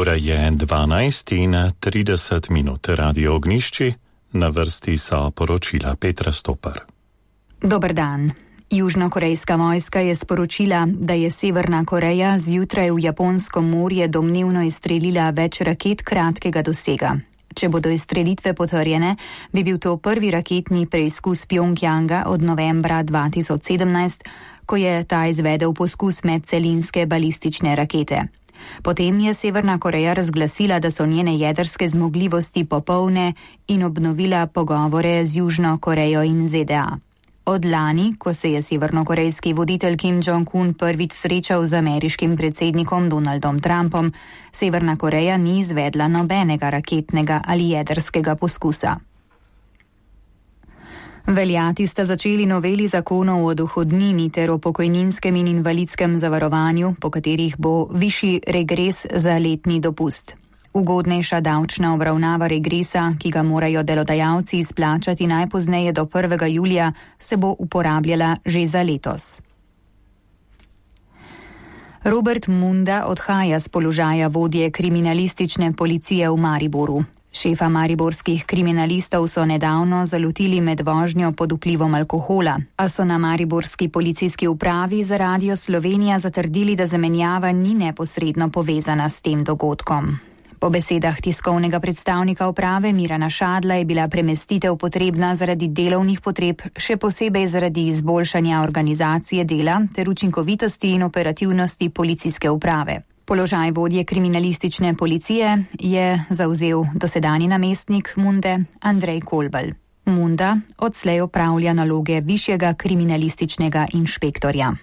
Ura je 12:30, Radio Ognjišči, na vrsti so poročila Petra Stopar. Dober dan. Južnokorejska vojska je sporočila, da je Severna Koreja zjutraj v Japonsko morje domnevno izstrelila več raket kratkega dosega. Če bodo izstrelitve potrjene, bi bil to prvi raketni preizkus Pjongjanga od novembra 2017, ko je ta izvedel poskus medcelinske balistične rakete. Potem je Severna Koreja razglasila, da so njene jedrske zmogljivosti popolne in obnovila pogovore z Južno Korejo in ZDA. Od lani, ko se je severnokorejski voditelj Kim Jong-un prvič srečal z ameriškim predsednikom Donaldom Trumpom, Severna Koreja ni izvedla nobenega raketnega ali jedrskega poskusa. Veljati sta začeli noveli zakonov o dohodnini ter o pokojninskem in invalidskem zavarovanju, po katerih bo višji regres za letni dopust. Ugodnejša davčna obravnava regresa, ki ga morajo delodajalci izplačati najpozneje do 1. julija, se bo uporabljala že za letos. Robert Munda odhaja z položaja vodje kriminalistične policije v Mariboru. Šefa mariborskih kriminalistov so nedavno zalotili med vožnjo pod vplivom alkohola, a so na mariborski policijski upravi za Radio Slovenija zatrdili, da zamenjava ni neposredno povezana s tem dogodkom. Po besedah tiskovnega predstavnika uprave Mirana Šadla je bila premestitev potrebna zaradi delovnih potreb, še posebej zaradi izboljšanja organizacije dela ter učinkovitosti in operativnosti policijske uprave. Položaj vodje kriminalistične policije je zavzel dosedanji namestnik Munde Andrej Kolbal. Munda odslej opravlja naloge višjega kriminalističnega inšpektorja.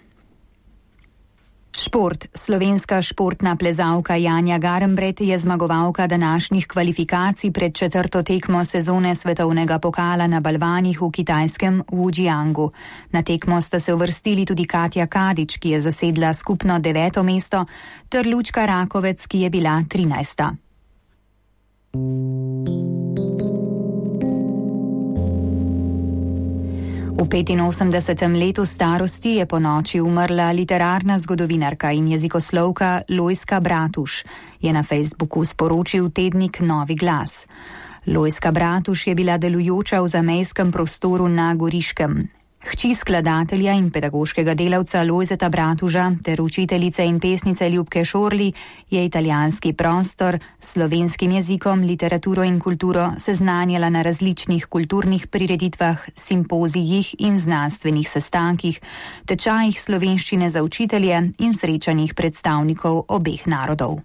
Šport. Slovenska športna plezalka Janja Garnbret je zmagovalka današnjih kvalifikacij pred 4. tekmo sezone svetovnega pokala na balvanih v kitajskem Wujiangu. Na tekmo sta se uvrstili tudi Katja Kadič, ki je zasedla skupno 9. mesto, ter Lučka Rakovec, ki je bila 13. V 85. letu starosti je ponoči umrla literarna zgodovinarka in jezikoslovka Lojzka Bratuš, je na Facebooku sporočil tednik Novi glas. Lojzka Bratuš je bila delujoča v zamejskem prostoru na Goriškem. Hči skladatelja in pedagoškega delavca Lojzeta Bratuža ter učiteljice in pesnice Ljubke Šorli je italijanski prostor s slovenskim jezikom, literaturo in kulturo seznanjala na različnih kulturnih prireditvah, simpozijih in znanstvenih sestankih, tečajih slovenščine za učitelje in srečanjih predstavnikov obeh narodov.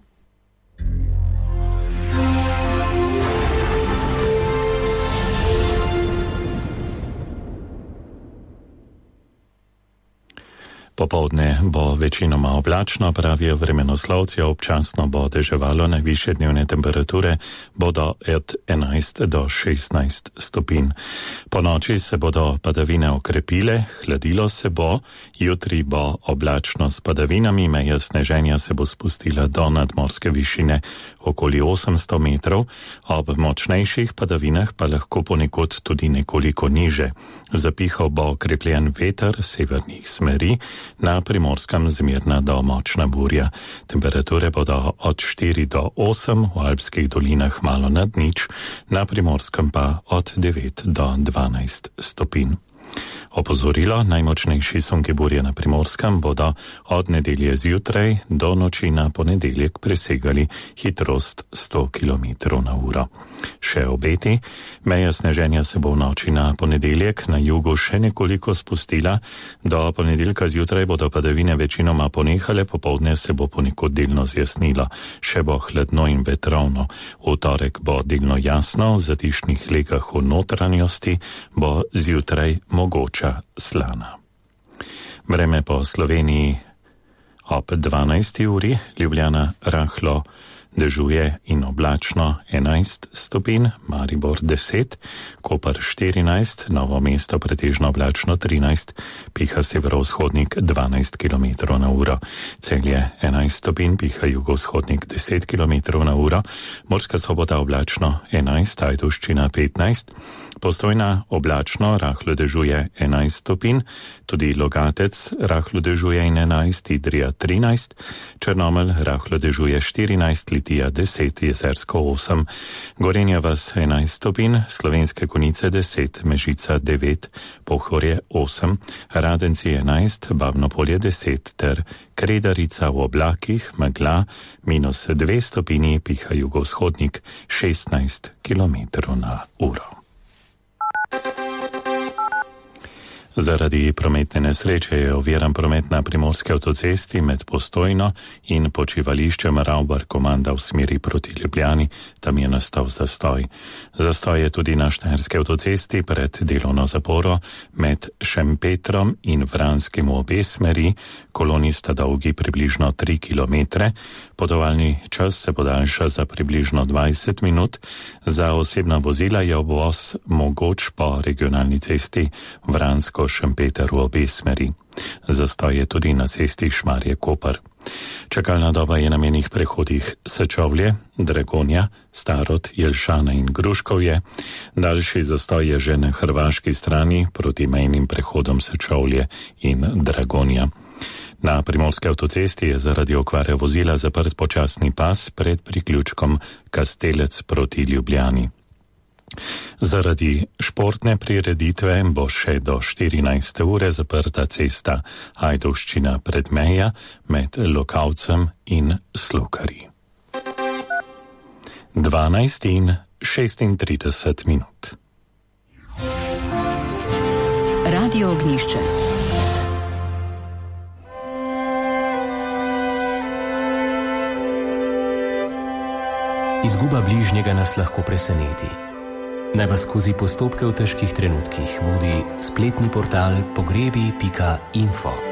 Popoldne bo večinoma oblačno, pravijo vremenoslovci, občasno bo deževalo, najvišje dnevne temperature bodo od 11 do 16 stopinj. Po noči se bodo padavine okrepile, hladilo se bo, jutri bo oblačno s padavinami, meja sneženja se bo spustila do nadmorske višine okoli 800 metrov, ob močnejših padavinah pa lahko ponekod tudi nekoliko niže. Zapihal bo okrepljen veter severnih smeri, na Primorskem zmerna do močna burja. Temperature bodo od 4 do 8, v alpskih dolinah malo nad nič, na Primorskem pa od 9 do 12 stopinj. Opozorilo, najmočnejši sunki burje na Primorskem bodo od nedelje zjutraj do noči na ponedeljek presegali hitrost 100 km/h. Še obeti, meja sneženja se bo v noči na ponedeljek na jugu še nekoliko spustila, do ponedeljka zjutraj bodo padavine večinoma ponehale, popoldne se bo ponekod delno zjasnilo, še bo hladno in vetrovno. V torek bo delno jasno, v zatišnih legah v notranjosti bo zjutraj mogoča slana. Vreme po Sloveniji ob 12. uri, Ljubljana rahlo dežuje in oblačno 11 stopinj, Maribor 10, Koper 14, Novo mesto pretežno oblačno 13, piha severovzhodnik 12 km/h, Celje 11 stopinj, piha jugovzhodnik 10 km/h, Murska Sobota oblačno 11, Ajdovščina 15, Postojna oblačno, rahlo dežuje 11 stopinj, tudi Logatec rahlo dežuje in 11, Idrija 13, Črnomelj rahlo dežuje 14, Litija 10, Jezersko 8, Gorenja vas 11 stopinj, Slovenske Konjice 10, Mežica 9, Pohorje 8, Radenci 11, Babno Polje 10 ter Kredarica v oblakih, megla -2 stopinji, piha jugovzhodnik 16 km/h. Zaradi prometne nesreče je oviran promet na primorski avtocesti med Postojno in počivališčem Ravbar-Komanda v smeri proti Ljubljani, tam je nastal zastoj. Zastoj je tudi na štajerski avtocesti pred delovno zaporo med Šempetrom in Vranskim v obe smeri, koloni sta dolgi približno 3 km, potovalni čas se podaljša za približno 20 minut, za osebna vozila je obvoz mogoč po regionalni cesti Vransko-Šempeter v obe smeri. Zastoj je tudi na cesti Šmarje-Koper. Čakalna doba je na menih prehodih Sečovlje, Dragonja, Starod, Jelšana in Gruškovje. Daljši zastoj je že na hrvaški strani proti mejnim prehodom Sečovlje in Dragonja. Na primorski avtocesti je zaradi okvare vozila zaprt počasni pas pred priključkom Kastelec proti Ljubljani. Zaradi športne prireditve bo še do 14. ure zaprta cesta Ajdovščina Predmeja med Lokavcem in Slokarji. 12:36. Radio Ognjišče. Izguba bližnjega nas lahko preseneti. Naj vas skozi postopke v težkih trenutkih vodi spletni portal pogrebi.info.